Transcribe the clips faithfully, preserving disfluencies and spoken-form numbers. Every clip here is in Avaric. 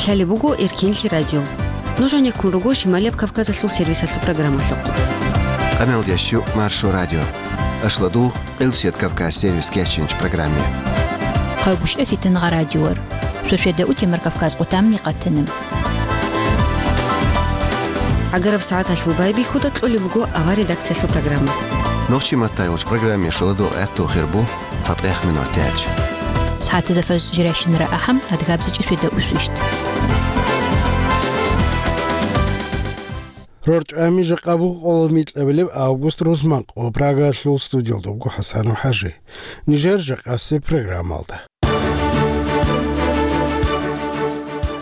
Лъалеб буго Эркенлъи радио. Нуж гьанеккун руго Шималияб Кавказалъул сервисалъул программалъухъ. Къаналдящу Маршо радио. Ашладугъ Къилбсият Кавказ сервис кечинч программе. Къавбушев Фитангъа радиор. Шошведа утемар Кавказ къутамни къатана. ГӀагараб сагӀаталъул байбихьуда кьолеб буго авар редакциялъул программа. Нохчи маттайулч программе шуладугъ гӀатту хирбу. ЦатӀех минут тяч. СагӀатазда фаж жиращинара ахӀам, адгабзичӀи феда усвищт. РорчӀами жакъа буго къоло микьабилеб август рузманкъо Прагалъул студиялда буго ХӀасан ХӀажи. Нижер жакъасеб программалда.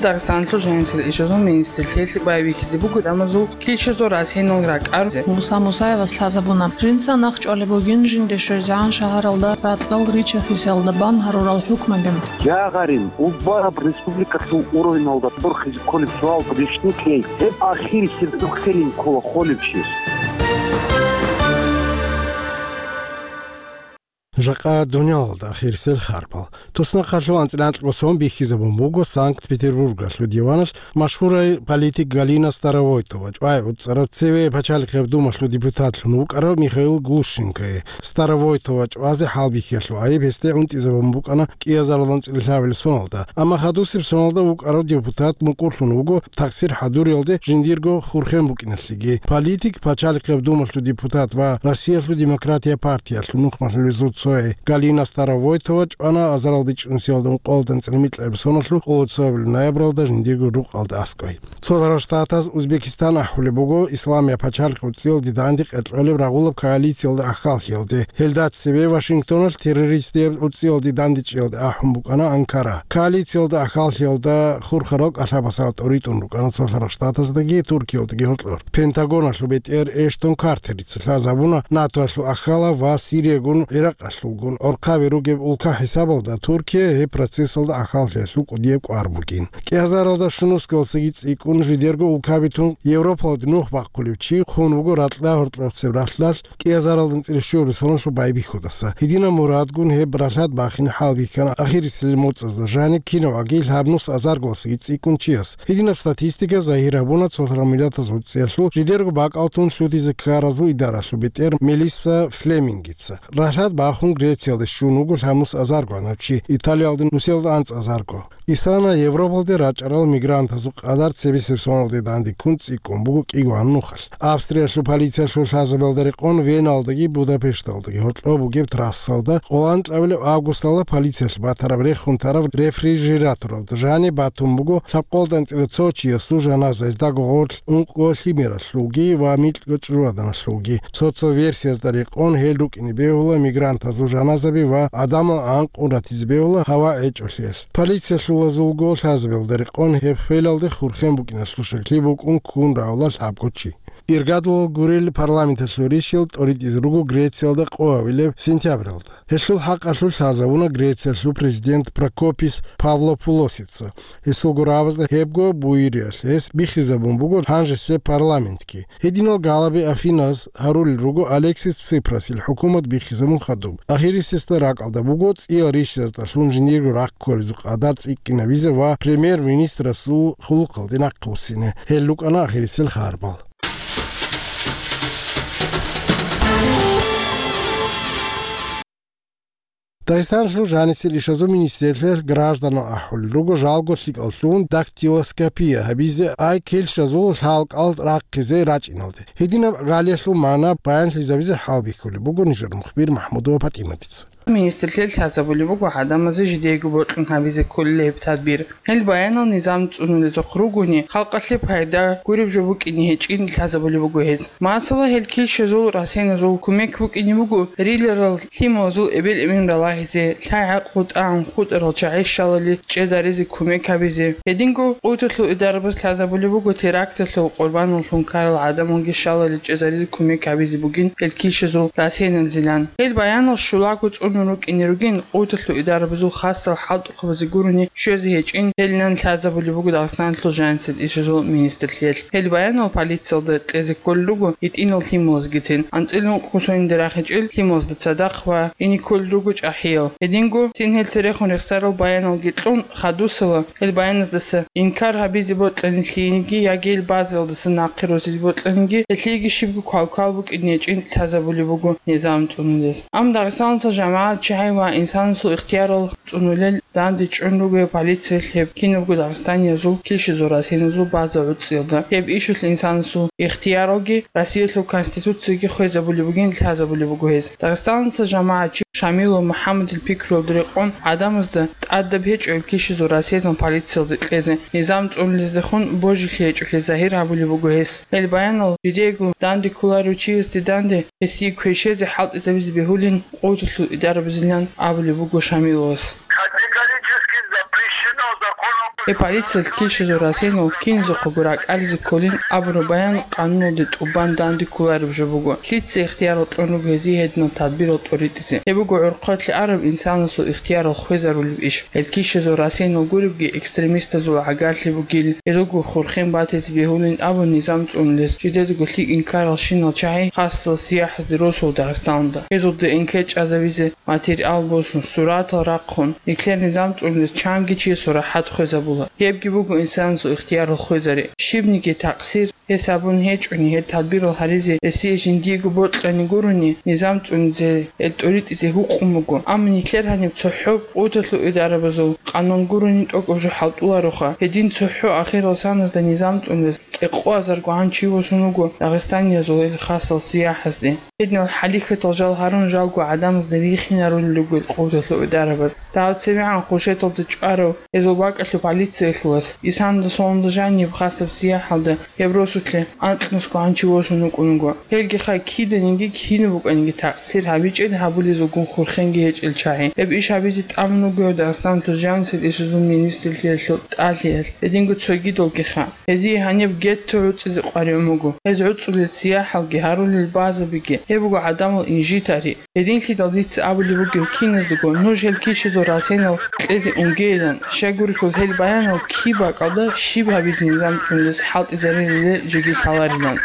Дагъистаналъул жанисел ишазул министрлъиялъе байбихьизе буго гӀадамазул килщазул расенал ракӀар. Муса Мусаевас лъазабуна, жинца нахъ чӀвалеб бугин жинде щвезегӀан шагьаралда ракьал ричархъисалда бан гьарурал хӀукмаби. Я гъарин, убараб республикалъул уровеналда борхизе кколеб суалда рещтӀинлъей, гьеб ахирисеб духъелин ккола холев чияс. Жакъа дунялалда ахирисел харпал. Туснахъалъув анцӀила анкьго сон бихьизабун буго Санкт-Петербургалъул диваналъ машгьурай политик Галина Старовойтова чӀвай уцӀцӀарав цеве пачалихъеб думалъул депутатлъун вукӀарав Михаил Глущенкое. Старовойтова чӀвазе хӀалбихьиялъул гӀайиб гьесде гӀунтӀизабун букӀана кӀиазаралда анцӀила лъабабилеб соналда, амма хадусеб соналда вукӀарав депутат мукӀурлъун вуго такъсир хӀадуриялде жиндирго хурхен букӀиналъеги. Политик, пачалихъеб думалъул депутат ва Россиялъул демократия партиялъул нухмалъулезул цое Галина Старовойтова чӀвана азаралда чӀунсиялда ункъоялда анцӀила микьабилеб соналъул къоло цоябилеб ноябралда жиндирго рукъалда аскӀой. Цолъарал Штатаз Узбекистан ахӀулеб буго, Исламияб пачалихъ уцӀцӀиялде данде къеркьолеб рагъулаб коалициялда ахьаллъиялде. Гьелда цебе Вашингтоналъ террористияб уцӀцӀиялде дандечӀиялде ахӀун букӀана Анкара. Коалициялда ахьаллъиялда хурхарал кӀалъабасал тӀоритӀун рукӀана Цолъарал Штатаздаги Туркиялдаги гьоркьор. Пентагоналъул бетӀер Эштон Картерица лъазабуна НАТОялъул ахьалав ва Сириягун, ГӀиракъалъулгун гӀорхъаби ругеб улка хӀисабалда Туркия гьеб процессалда ахьаллъиялъул кӀудияб кӀвар бугин. КӀиазаралда щунусгалсаги цӀикӀкӀун жидерго улкаби тун Европалде нух бахъулев чи хун вуго ракьда гьоркьохъеб ралъдалъ кӀиазаралда анцӀила щуябилеб соналъул байбихьудаса. Гьединаб мурадгун гьеб ралъад бахине хӀалбихьана ахирисел моцӀазда жаниб кинаваги лъабнус азаргалсаги цӀикӀкӀун чияс. Гьединаб статистика загьир гьабуна Цолъарал Миллатазул ЦӀиялъул жидерго бакӀал тун лъутизе ккаразул идаралъул бетӀер Мелисса Флемингица. Ралъад бахун Грециялде щун вуго лъабнус азарго гьанав чи, Италиялде нусиялда анцӀазарго. Исана Европалде рачӀарал мигрантазул къадар цебесеб соналде данде ккун цӀикӀкӀун буго кӀиго гьанухалъ. Австриялъул полициялъул лъазабиялда рекъон Веналдаги Будапешталдаги гьоркьоб бугеб трассалда къоло анкьабилеб августалда полициялъ батараб рехун тараб рефрижераторалда жаниб батун буго лъабкъолда анцӀила цо чиясул жаназа, гьездаго гъорлъ ункъго лъимералъулги ва микьго чӀужугӀаданалъулги. Цо-цо версиязда рекъон гьел рукӀине бегьула мигрантазул жаназаби ва гӀадамал анкъун ратизе бегьула гьава гӀечӀолъиялъ. Полициялъулазулго лъазабиялда рекъон гьеб хвелалде хурхен букӀиналъул щаклъи букӀун ккун равла лъабго чи. Иргадулал гурел парламенталъул ришил тӀоритӀизе руго Грециялда къоявилеб сентябралда. Гьелъул хӀакъалъулъ лъазабуна Грециялъул президент Прокопис Павлопулосица. Гьесул гурабазда гьебго буюриялъ гьес биххизабун буго гьанжесеб парламентги. Гьединал галаби Афиназ гьарулел руго Алексис Ципрасил хӀукумат биххизабун хадуб. Ахирисесда ракӀалда буго цӀиял ришазда лъун жиндирго рахъ кколезул къадар цӀикӀкӀинабизе ва премьер-министрасул хъулухъалде нахъвуссине. Гьел рукӀана ахирисел харбал. Дагъистаналъул жанисел ишазул министрлъиялъ гражданал ахӀулел руго жалго лъикӀал лъугьун дактилоскопия гьабизе ай килщазул лъалкӀал рахъизе рачӀиналде. Гьединаб гӀалиялъул магӀна баянлъизабизе хӀалбихьулеб буго нижер мухбир МахӀмудова ПатӀиматица. Министрлъиялъ лъазабулеб буго гӀадамазе жидеего бокьун гьабизе кколел гьеб тадбир. Гьел баянал низам цӀунулезухъ ругони, халкъалъе пайда гуреб жо букӀине гьечӀин лъазабулеб буго гьез. Масала, гьел килщазул расеназул кумек букӀине буго риларал лъималазул эбел-эмен ралагьизе, лъай-гӀакълу тӀагӀун хутӀарал чагӀи щалали чӀезаризе кумек гьабизе. Гьединго къуваталъул идарабаз лъазабулеб буго теракталъул къурбаналлъун ккарал гӀадамалги щалали чӀезаризе кумек гьабизе бугин гьел килщазул расеналзилан. Гьел баянал щулаго цӀун рукӀине ругин, къуваталъул идарабазул хасал хӀалтӀухъабазе гурони щвезе гьечӀин гьелинан лъазабулеб буго Дагъистаналъул жанисел ишазул министрлъиялъ. Гьел баянал полициялда кьезе кколел руго гьитӀинал лъималазгицин, анцӀила ункъго сонде рахичӀел лъималазда цадахъ ва ине кколел руго чӀахӀиял. Гьединго цин гьел церехун рехсарал баяналги кьун хадусала, гьел баяназдаса инкар гьабизе бокьани лъиениги яги гьел базаялдаса нахъе росизе бокьаниги, гьелъиеги щибго квалквал букӀине гьечӀин лъазабулеб буго низам цӀунулес. Амма Дагъистаналъул жамагӀат чагӀи ва инсанасул ихтиярал цӀунулел данде чӀун руго гьеб полициялъ гьеб кинабго дагъистаниязул килщизул расиналъул база гӀуцӀиялда. Гьеб ишалъ инсанасул ихтияралги Россиялъул Конституцияги хвезабулеб бугин лъазабулеб буго гьез. Дагъистаналъул жамагӀатчи Шамилов МухӀаммадил пикруялда рекъон гӀадамазда тӀадаб гьечӀо гьеб килщизул расиялъул полициялда кьезе, низам цӀунулездехун божилъи гьечӀолъи загьир гьабулеб буго гьес. Гьел баянал жидеего данде кколарев чиясде данде гьесие квешезе хӀалтӀизабизе бегьулин къуваталъул идарабазилан абулеб буго Шамиловас. Категорически запрещено законом. Гьеб полициялъ килщизул расиналъ киназухъего ракӀализе кколин абураб баян къануналде тӀубан данде кколареб жо буго. Лъица ихтиярал кьун руго гьезие гьединал тадбирал тӀоритӀизе? Гьеб буго гӀорхъалъе араб инсанасул ихтиярал хвезарулеб иш. Гьел килщизул расиналъ гуребги экстремистазул гӀагарлъи бугил, гьел руго хурхен батизе бегьулин абун низам цӀунулес жидедаго лъикӀ инкарал щинал чагӀи хасал сияхӀазде росула Дагъистаналда. Гьезул ДНК чӀезабизе материал босун, суратал рахъун, нилъер низам цӀунулес чанги чиясул рахӀат хвезабула. Гьебги буго инсанасул ихтиярал хвезари. Щибниги такъсир гьес гьабун гьечӀони, гьеб тадбирал гьаризе гьесие жиндиего бокьани гурони, низам цӀунизе, гьел тӀоритӀизе гьукъун буго. Амма нилъер гьаниб цохӀо къуваталъул идарабазул къанун гурони тӀокӀаб жо хӀалтӀулароха. Гьедин цохӀо ахирал саназда низам цӀунулес кӀикъоазарго гӀан чи восун вуго дагъистаниязул гьел хасал сияхӀазде. Гьединал хӀалихьатал жал гьарун жалго гӀадамазда рихинарулел руго къуваталъул идарабаз. Дагьаб цебегӀан Хушеталда чӀварав гьезул бакӀалъул полициялъул вас, исанда соланда жаниб хасаб сияхӀалда гьеб росулъе анкьнусго гӀан чи восун вукӀун вуго. Гьелгиха киданиги кинаб букӀаниги такъсир гьабичӀел гьабулезулгун хурхенги гьечӀел чагӀи. Гьеб иш гьабизе тӀамун вуго Дагъистаналъул жанисел ишазул министрлъиялъул тӀалъиялъ, гьединго цогидалгиха. Гьезие гьаниб гетто гӀуцӀизе къваригӀун буго. Гьез гӀуцӀулел сияхӀалги гьарулел базабиги, гьеб буго гӀадамал инжитари. Гьединлъидал дица абулеб бугеб киназдаго, нуж гьел килщизул расенал кьезе унгейилан, щайгурелъул гьел баянал киб бакӀалда щиб гьабизе низам цӀунулес хӀалтӀизарилилан жеги лъаларилан.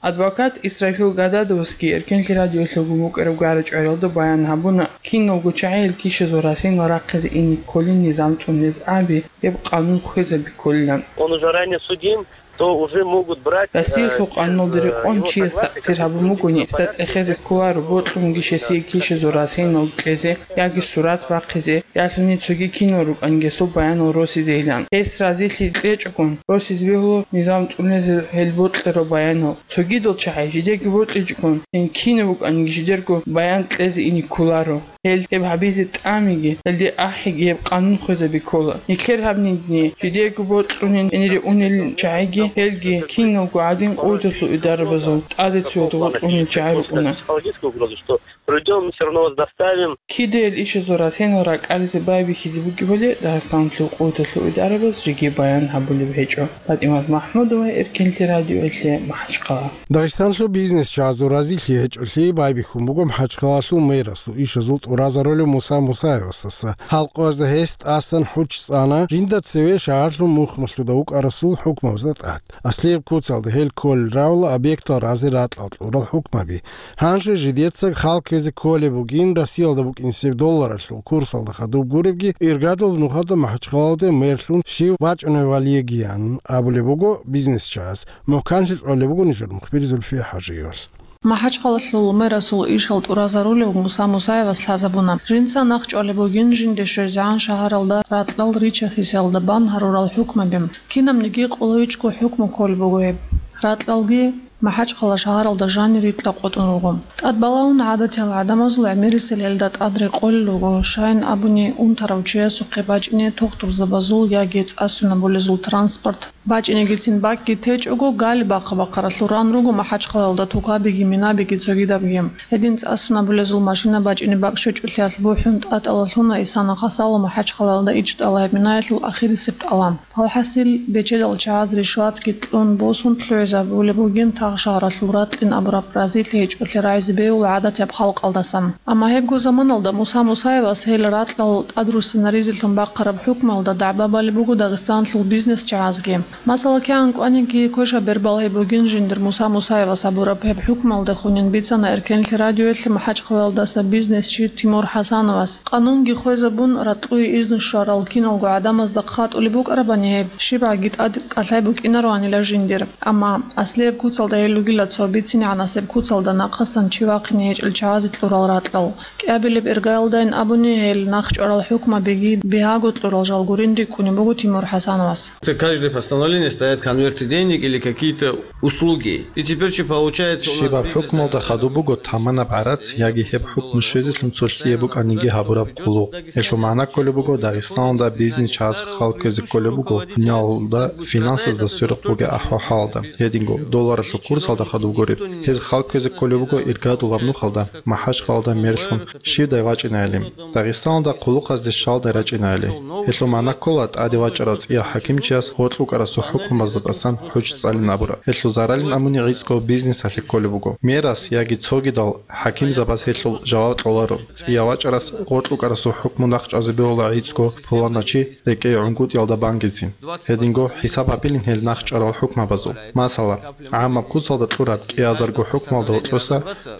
Адвокат Исрафил Гададовасги Эркенлъи радиоялъулгун букӀараб гара-чӀвариялда баян гьабуна, киналго чагӀи гьел килщизул расенал рахъизе ине кколин низам цӀунулез аби, гьеб къанун хвезаби кколилан. Он уже ранее судим, то уже могут брать, э, Россиялъул къануналда рекъон чияс такъсир гьабун бугони, гьесда цӀехезе кколаро, бокьунги гьесие килщизул расенал кьезе яги сурат бахъизе, ялъуни цоги кинал рукӀанги гьесул баянал росизейилан. Гьес разилъи кьечӀогун, росизе бегьула низам цӀунулез гьел бокьарал баянал. Цогидал чагӀи жидеги бокьичӀогун, гьел кинаб букӀаниги жидерго баян кьезе ине кколаро. Гьел гьеб гьабизе тӀамиги, гьелде ахӀиги гьеб къанун хвезаби ккола. Нилъер гьаб нидни, жидеего бокьунин гьенире унел чагӀиги, гьелги киналго гӀадин къуваталъул идарабазул тӀаде цоялда бокьунел чагӀи рукӀуна. Психологическая угроза, что придём, мы всё равно вас доставим. Кида гьел ишазул расенал ракӀализе байбихьизе бугебали Дагъистаналъул къуваталъул идарабаз жеги баян гьабулеб гьечӀо. ПатӀимат МахӀмудова, Эркенлъи радиоялъе, МахӀачхъала. Дагъистанлъул бизнесчагӀазул разилъи гьечӀолъи байбихьун буго МахӀачхъалалъул мэрасул ишазул тӀуразарулев Муса Мусаевасдаса. Халкъазда гьес тӀасан хӀуч цӀана жинда цеве шагьарлъун мухмалъуда вукӀарасул хӀукмабазда тӀад. Аслияб куцалда гьел кколел равла объектал разе ракьал кьурал хӀукмаби. Гьанже жидеца хал ккезе кколеб бугин, Россиялда букӀинсеб долларалъул курсалда хадуб гуребги, иргадул нухалда МахӀачхъалалде мэрлъун щив вачӀунев валигиян абулеб буго бизнесчагӀаз. МухӀканлъи кьолеб буго нижер мухбир Зульфия ХӀажиевалъ. МахӀачхъалалъул мэрасул ишал тӀуразарулев Муса Мусаевас лъазабуна, жинца нахъ чӀвалеб бугин жинде щвезегӀан шагьаралда ракьал рича-хисиялда бан гьарурал хӀукмаби. Кинабниги къулайчӀого хӀукму кколеб буго гьеб. Ракьалги МахӀачхъала шагьаралда жанир рикьа къотӀун руго. ТӀад балагьун гӀадатиял гӀадамазул гӀемерисел гьелда тӀад рекъолел руго, щайин абуни унтарав чиясухъе бачӀине тухтурзабазул яги цӀа-сунабулезул транспорт. БачӀинегицин бакӀги течӀого, гали бахъа-бахъаралъур ран руго МахӀачхъалалда тукабиги, минабиги, цогидабги. Гьедин цӀа-сунабулезул машина бачӀине бакӀ щвечӀолъиялъ бухӀун тӀатӀалалъуна Исана Хасалов МахӀачхъалалда ичӀдала гьеб минаялъул ахирисеб тӀалаб. Алхасил, бечедал чагӀаз ришватги кьун босун лъугӀизабулеб бугин Шагьаралъул ракьин абураб разилъи гьечӀолъи рагӀизе бегьула гӀадатияб халкъалдасан. Амма гьебго заманалда Муса Мусаевас гьел ракьал тӀадруссинаризелъун бахъараб хӀукмуялда дагӀба балеб буго Дагъистаналъул бизнесчагӀазги. Масала, кигӀан кӀваниги квешаб бер балгьи бугин жиндир Муса Мусаевас абураб гьеб хӀукмуялдехунин бицана Эркенлъи радиоялъе МахӀачхъалаялдаса бизнесчи Тимур ХӀасановас. Къанунги хвезабун, ракьуе изну щварал киналго гӀадамазда хъатӀулеб букӀарабани гьеб, щибгӀаги тӀад кӀалъай букӀинароанила жиндир. Амма аслияб куцалда гьел ругила цо бицинегӀанасеб куцалда нахъасан чи вахъине гьечӀел чагӀазе кьурал ракьал. КӀиабилеб иргаялдайин абуни, гьел нахчӀварал хӀукмабиги бигьаго кьурал жал гурин рикӀкӀунеб буго Тимур ХӀасановас. Это каждое постановление стоят конверты денег или какие-то услуги. И теперь что получается у нас... Щибаб бизнес хӀукмалда хадуб буго таманаб гӀарац яги гьеб хӀукму щвезелъун цо лъие букӀаниги гьабураб хъулухъ. Гьелъул магӀна кколеб буго, Дагъистаналда бизнес чагӀаз хал кквезе кколеб буго дуниялалда финансазда сверухъ бугеб ахӀвал-хӀалалда. Гьединго, долларалъул курсалда хадуб гуреб. Гьез хал кквезе кколеб буго иргадулаб нухалда, МахӀачхъалаялда мерлъун щивдай вачӀинайилан, Дагъистаналда хъулухъазде щалдай рачӀинайилан. Гьелъул магӀна ккола тӀаде вачӀарав цӀияв хӀакимчияс гъоркь рукӀарасул хӀукмабазда тӀасан хӀуж цӀалин абураб. Гьелъул заралин абуни гӀицӀго бизнесалъе кколеб буго. Мерас яги цогидал хӀакимзабаз гьелъул жаваб кьоларо. ЦӀияв вачӀарас гъоркь рукӀарасул хӀукму нахчӀвазе бегьула гӀицӀго пуланав чи рекӀее гӀунгутӀиялда бангизе. Гьединго хӀисаб гьабилин гьел нахчӀварал хӀукмабазул. Масала, гӀаммаб куцалда кьураб кӀиазарго хӀукмалда гьоркьоса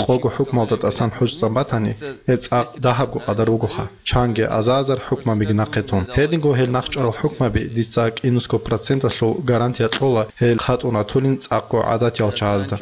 къого хӀукмалда тӀасан хӀуж цӀан батани, гьеб цӀакъ дагьабго къадар бугоха, чанги азар-азар хӀукмабиги нахъе тун. Гьединго гьел нахчӀварал хӀукмаби дица кӀинусго проценталъул гарантия кьола гьел хъатӀун ратулин цӀакъго гӀадатиял чагӀазда.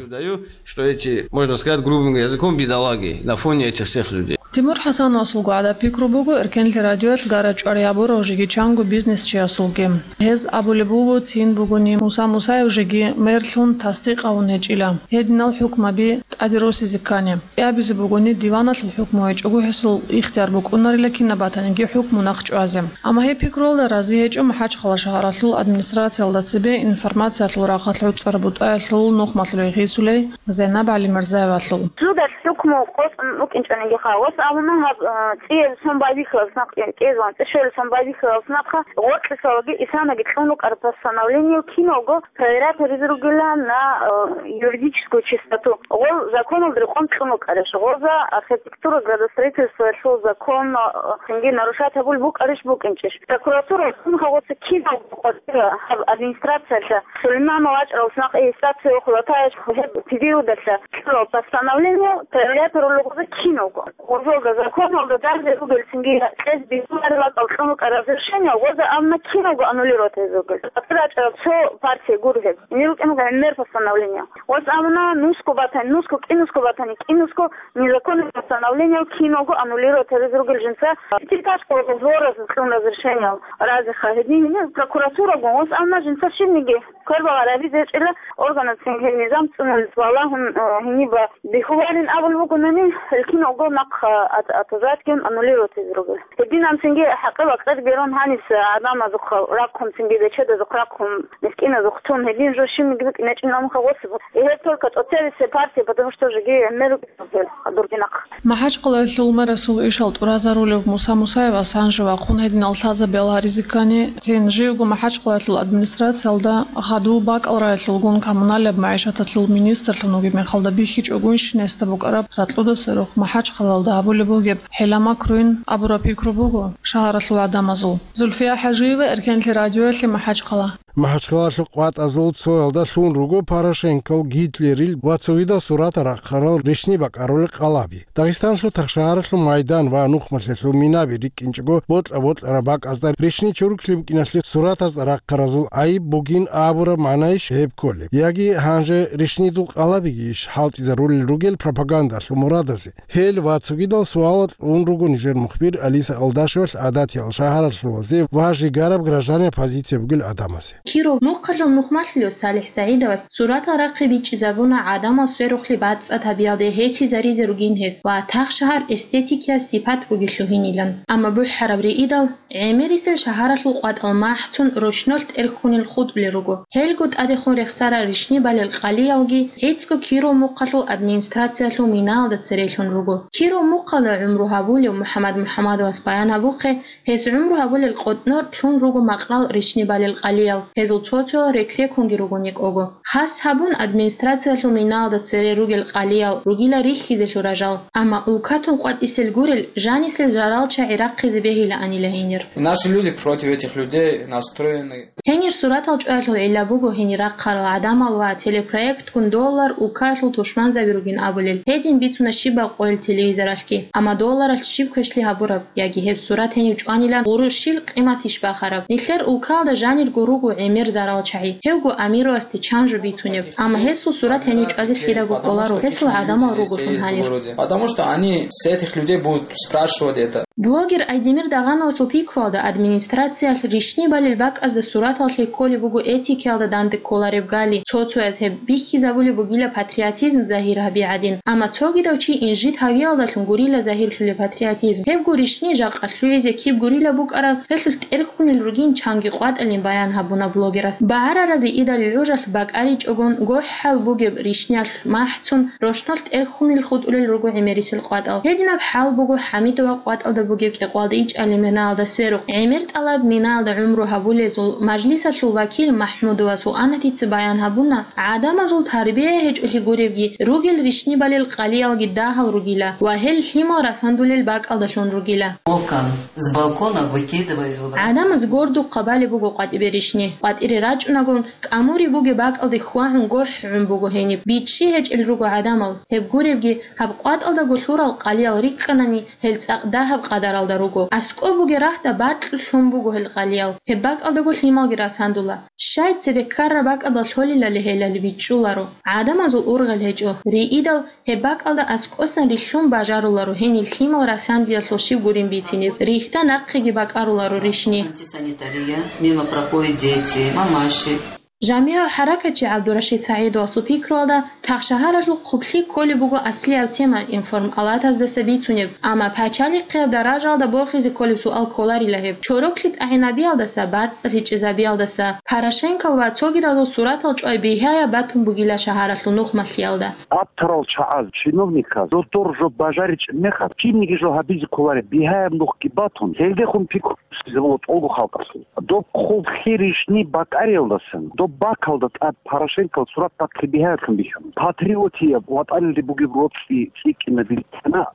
Что эти, можно сказать грубым языком, бедолаги на фоне этих всех людей. Тимур ХӀасановасулго гӀадаб пикру буго Эркенлъи радиоялъ гара-чӀвари гьабурав жеги чанго бизнесчиясулги. Гьез абулеб буго, цин бугони Муса Мусаев жеги мерлъун тасдикъавун гьечӀила гьединал хӀукмаби тӀаде росизе ккани. КӀиабизе бугони, диваналъул хӀукму гьечӀого гьесул ихтияр букӀунарила кинаб батаниги хӀукму нахчӀвазе. Амма гьеб пикруялда рази гьечӀо МахӀачхъала шагьаралъул администрациялда цебе информациялъул рахъалъ гӀуцӀараб бутӀаялъул нухмалъулей гъисулей Зайнаб ГӀалимирзаевалъул. Судалъ хӀукму къотӀун букӀинчӀониги ха, ос абуна гьаб, а, цӀиялъ сон байбихьулас нахъ, кӀезан цӀишоялъ сон байбихьулас нахъа гъоркьисалаги исанаги кьун рукӀараб постановление киналго проверять гьаризе ругила на, э, юридическую чистоту. Гъол законалда рекъон кьун рукӀарищ, гъоза архитектура, градостроительствоялъул закон, э, цинги нарушать гьабулеб букӀарищ букӀинчӀищ. Прокуратура гъоца киналго къватӀира гьаб администрациялъа Сулейманов вачӀарал нахъ регистрация хулатаеш гьеб периодалъа кьурал постановление проверять гьарулел гъоза киналго. Гъозолда законалда дарзе ругел цинги кьез бихьуларел ракӀал кьун рукӀараб разрешение гъоза амма киналго аннулировать гьезе ругел. ГьатӀира рачӀараб цо партия гур гьеб. Гьенир рукӀин гӀемер постановление. Гъоз абуна нусго батани, нусго, кӀинусго батани, кӀинусго незаконный постановление киналго аннулировать гьезе ругел жинца. Пятиэтажка гъозоразда кьун разрешение разиха гьедин гьенир прокуратурагун. Гъоз абуна жинца щибниги квербагъа рабизе гьечӀила органацин гьел низам цӀунулес валагьун, э, гьениба бихьуларин абулеб бугонани, гьел киналго нахъа ат-, отказать гьун аннулировать гьезе ругел. Гьединанцинги хӀакъи-бакъиги рун гьанис гӀадамазухъа рахъун, цинги бечедазухъ рахъун, мискӀиназухъ тун, гьедин жо щибниги букӀинчӀин амха гъосиб. Гьеб только тӀоцебисе партия, потому что жеги гӀемер рукӀине гьел дурги нахъ. МахӀачхъалаялъул мэрасул ишал тӀуразарулев Муса Мусаевас гьанже вахъун гьединал лъазабиял гьаризе ккани, цин живго МахӀачхъалаялъул администрациялда хадув бакӀал райалъулгун коммуналияб магӀишаталъул министрлъун вугеб мехалда бихьичӀогойищин гьесда букӀараб ракьудаса рухӀ МахӀачхъалаялда гьабулеб бугеб хӀила-макруйин абураб пикру буго шагьаралъул гӀадамазул. Зульфия ХӀажиева, Эркенлъи радиоялъе, МахӀачхъала. МахӀачхъалалъул къватӀазул цоялда лъун руго Порошенкол, Гитлерил ва цогидал суратал рахъарал рищни бакӀарулел къалаби. Дагъистаналъул Тахшагьаралъул майдан ва нухмалъиялъул минаби рикӀкӀинчӀого бокьа-бокьараб бакӀазда рищни чорхолъи букӀиналъе суратазда рахъаразул гӀайиб бугин абураб магӀнайищ гьеб кколеб? Яги гьанже рищнидул къалабигийищ хӀалтӀизарулел ругел пропагандалъул мурадазе? Гьел ва цогидал суалал кьун руго нижер мухбир Алиса Алдашевалъ гӀадатиял шагьаралъулазе ва жигараб гражданиял позиция бугел гӀадамазе. Киров мухъалъул нухмалъулев СалихӀ СагӀидовас суратал рахъи бичӀчӀизабуна гӀадамал сверухълъи бацӀцӀад гьабиялде гьесизаризе ругин гьес ва тахшагьар эстетикияс сипат бугелъул гьинилан. Амма бухӀараб риидал, гӀемерисел шагьаралъул къватӀал махӀцун ручнолъ тӀерхьунел хутӀулел руго. Гьелго тӀадехун рехсарал рищни балел къалиялги гӀицӀго Киров мухъалъул администрациялъул минаялда церелъун руго. Киров мухъалда гӀумру гьабулев МухӀаммад МухӀаммадовас баян гьабухъе, гьес гӀумру гьабулел къотӀнор лъун руго макьрал рищни балел къалиял. Гьезул цо-цоял рекрекунги ругони кӀого. Хас гьабун, администрациялъул минаялда цере ругел къалиял ругила рихьизелъул ражал, амма улкатун къватӀисел гурел жанисел жарал чагӀи рахъизе бегьилаанила гьенир. Наши люди против этих людей настроены. Гьенир суратал чӀваялъул гӀилла буго гьенир рахъарал гӀадамал ва телепроектгун доллар улкаялъул тушманзаби ругин абулел, гьедин бицуна щибаб къойил телевизоралъги. Амма долларалъ щиб квешлъи гьабураб, яги гьеб сурат гьенив чӀванилан гъурущил къиматищ бахараб? Нилъер улкаялда жанирго руго гӀемер зарал чагӀи, гьевго амирувасде чан жо бицунеб, амма гьесул сурат гьенив чӀвазе лъидаго кӀоларо, гьесул гӀадамал ругелъул гьалихъ. Потому что они с этих людей будут спрашивать это. Блогер Айдемир Дагъановасул пикруялда, администрациялъ ришни балел бакӀазда суратал лъей кколеб буго этикаялда данде кколареб гали, цо-цояз гьеб бихьизабулеб бугила патриотизм загьир гьаби гӀадин, амма цогидав чи инжит гьавиялдалъун гурила загьирлъулеб патриотизм. Гьебго ришни жакъа лъугӀизе киб гурила букӀараб, гьелъулъ тӀерхьунел ругин чанги къватӀалин баян гьабуна блогерас. БагӀарараб риидал гӀужалъ бакӀаричӀогон гохӀал бугеб ришниялъ махӀцун, рощналъ тӀерхьунел хутӀулел руго гӀемерисел къватӀал. Гьединаб хӀал буго ХӀамидова къватӀалда бугеб кӀикъоялда ичӀалил минаялда сверухъ. ГӀемер тӀалаб минаялда гӀумру гьабулезул мажлисалъул вакил МахӀмудова Суанатица баян гьабуна, гӀадамазул тарбия гьечӀолъи гуребги, ругел ришни балел къалиялги дагьал ругила ва гьел лъимал расандулел бакӀалдалъун ругила. Окон. С балкона выкидывали выбрасывали. ГӀадамаз гордухъа балеб буго къватӀибе ришни. КъватӀире рачӀунагун, кӀамуриб бугеб бакӀалде хьвагьун гохӀгӀун буго гьениб. БичӀчӀи гьечӀел руго гӀадамал. Гьеб гуребги, гьаб къватӀалдаго лъурал къалиял рикӀкӀанани, гьел цӀакъ дагьаб къадаралда руго. АскӀоб бугеб рагьда бакьулъ лъун буго гьел къалиял. Гьеб бакӀалдаго лъималги расандула. Щай цебе ккараб бакӀалда лъолилали гьелали бичӀчӀуларо. ГӀадамазул ургъел гьечӀо. Риидал Гьеб бакӀалда аскӀосан рилълъун бажаруларо гьенир лъимал расандиялъул щиб гурин бицинеб, рихьда нахъеги бакӀаруларо ришни. Антисанитария, мимо проходят дети, мамаши. ЖамигӀав хӀаракатчи ГӀабдурашид СагӀидовасул пикруялда, тахшагьаралъул хъублъи кколеб буго аслияб тема информалатаздаса бицунеб, амма пачалихъияб даражаялда борхизе кколеб суал кколарила гьеб. Чороклъи тӀагӀинабиялдаса, бацӀцӀалъи чӀезабиялдаса, Порошенкол ва цогидазул суратал чӀвай бигьаяб батун бугила шагьаралъул нухмалъиялда. Абтарал чагӀаз, чиновниказ, додор жо бажаричӀеб мехалъ, кинниги жо гьабизе кколареб бигьаяб нухги батун, гьелдехун пикру босизе буго тӀолго халкъалъул. Доб хъублъи ришни бакӀариялдасан, доб бакалда тӀад Порошенкол сурат бахъи бигьаялъун бихьана. Патриотияб, ватӀаналде бугеб роцӀи цӀикӀкӀинаб бихьана,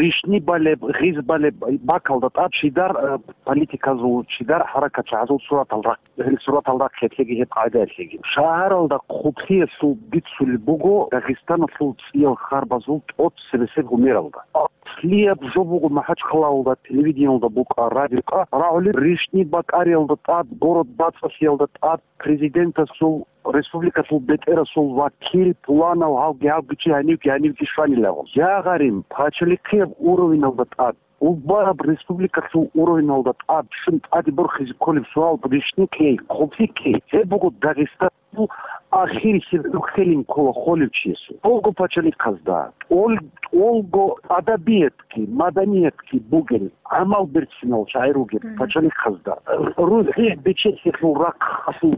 ришни балеб, гъиз балеб бакалда тӀад чидар, э, политиказул, чидар хӀаракатчагӀазул суратал рахъ. Гьел суратал рахъиялъеги гьеб къагӀидаялъеги. Шагьаралда хъублъиялъул бицулеб буго Дагъистаналъул цӀиял харбазул тӀоцебесеб гьумералда. Аслияб жо буго МахӀачхъалалда телевидениялда букӀа, радиокьа рагӀулеб, ришни бакӀариялда тӀад, город бацӀцӀалъиялда тӀад, президентасул, республикалъул бетӀерасул вакил, пуланав, гьавги-гьавги чи, гьанивги-гьанивги щванилаго. Я гъарим, пачалихъияб уровеналда тӀад. Убараб республикалъул уровеналда тӀад щун тӀаде борхизе кколеб суал, ришни ккей, хъублъи ккей, гьеб буго Дагъистаналъул ахирисеб гӀурхъелин ккола холев чиясул. ТӀолго пачалихъазда, тӀол-, тӀолго адабиятги, маданиятги бугел, гӀамал берцинал шагӀир вугеб Мгм. пачалихъазда, рухӀи бечелъиялъул рахъалъул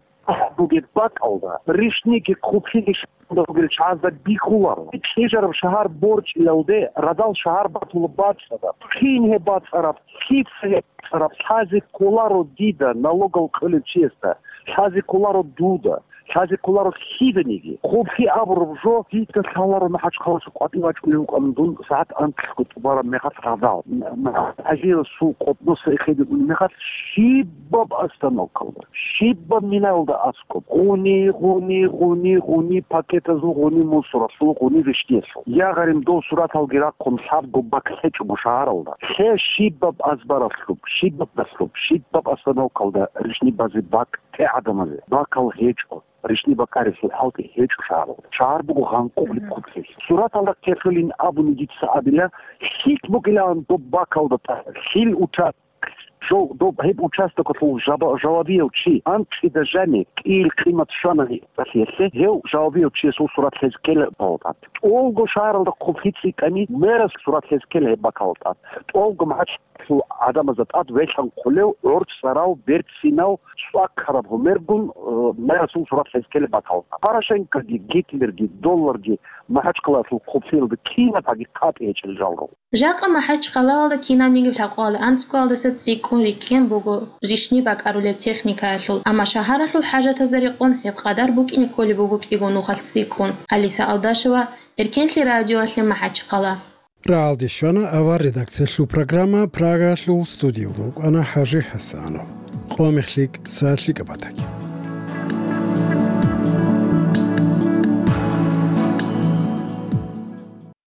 бугеб бакӀалда, ришниги хъублъиги щвалда ругел чагӀазда бихьуларо. Кьижараб шагьар борчӀилалде радал шагьар батула бацӀцӀадаб. Кин гьеб бацӀцӀараб, лъица гьеб бацӀцӀараб, лъазе кколаро дида, налогал кьолев чиясда, лъазе кколаро дуда, лъазе кколаро лъиданиги. Хъублъи абураб жо, дица лъаларо МахӀачхъалаялъ къватӀив вачӀунев вукӀан дун сагӀат анкьго тӀубараб мехалъ радал. М-, м-, ГӀазиевасул къотӀноса эхедигун мехалъ щибаб остановкалда, щибаб минаялда аскӀоб, гъуни, гъуни, гъуни, гъуни пакетазул, гъуни мусоралъул, гъуни ришниялъул. Я гъарим, дов сураталги рахъун лъабго бакӀ лъечӀого шагьаралда. Лъе щибаб азбаралъуб, щибаб наслуб, щибаб остановкалда ришни базе бакӀ те гӀадамазе. Бакал гьечӀо. Ришни бакӀарилъул хӀалтӀи гьечӀо шагьаралда. Шагьар буго гъанкъулеб Мгм. хъублъи. Сураталда ккелъулин абуни дица абила, лъикӀ бугилан доб бакалда тӀад, лъил уча-, жо-, доб гьеб участокалъул жаба-, жавабияв чи, анкьида жаниб кӀиил къимат щванани тӀалъиялъе, гьев жавабияв чиясул сурат лъезе ккела бакалда тӀад. ТӀолго шагьаралда хъублъи цӀикӀкӀани, мерас сурат лъезе ккела гьеб бакалда тӀад. ТӀолго МахӀачхъалаялъул гӀадамазда тӀад велъанхъулев, гӀорцӀарав, берцинав, цӀваккараб гьумергун, э, мерасул сурат лъезе ккела бакалда. Порошенкоги, Гитлерги, долларги МахӀачхъалаялъул хъублъиялда кинаб гьагикъатӀи гьечӀел жалго. Жакъа МахӀачхъалаялда кинабниги лъабкъоялда анцӀгоялдаса цӀикӀкӀун рикӀкӀен буго рищни бакӀарулеб техникаялъул, амма шагьаралъул хӀажатазда рекъон гьеб къадар букӀине кколеб буго кӀиго нухалъ цӀикӀкӀун. Алиса Алдашева, Эркенлъи радиоялъе, МахӀачхъала. РагӀалде щвана авар редакциялъул программа, Прагаялъул студиялда вукӀана ХӀажи ХӀасанов. Къо мехлъи, са лъикӀаб батаги.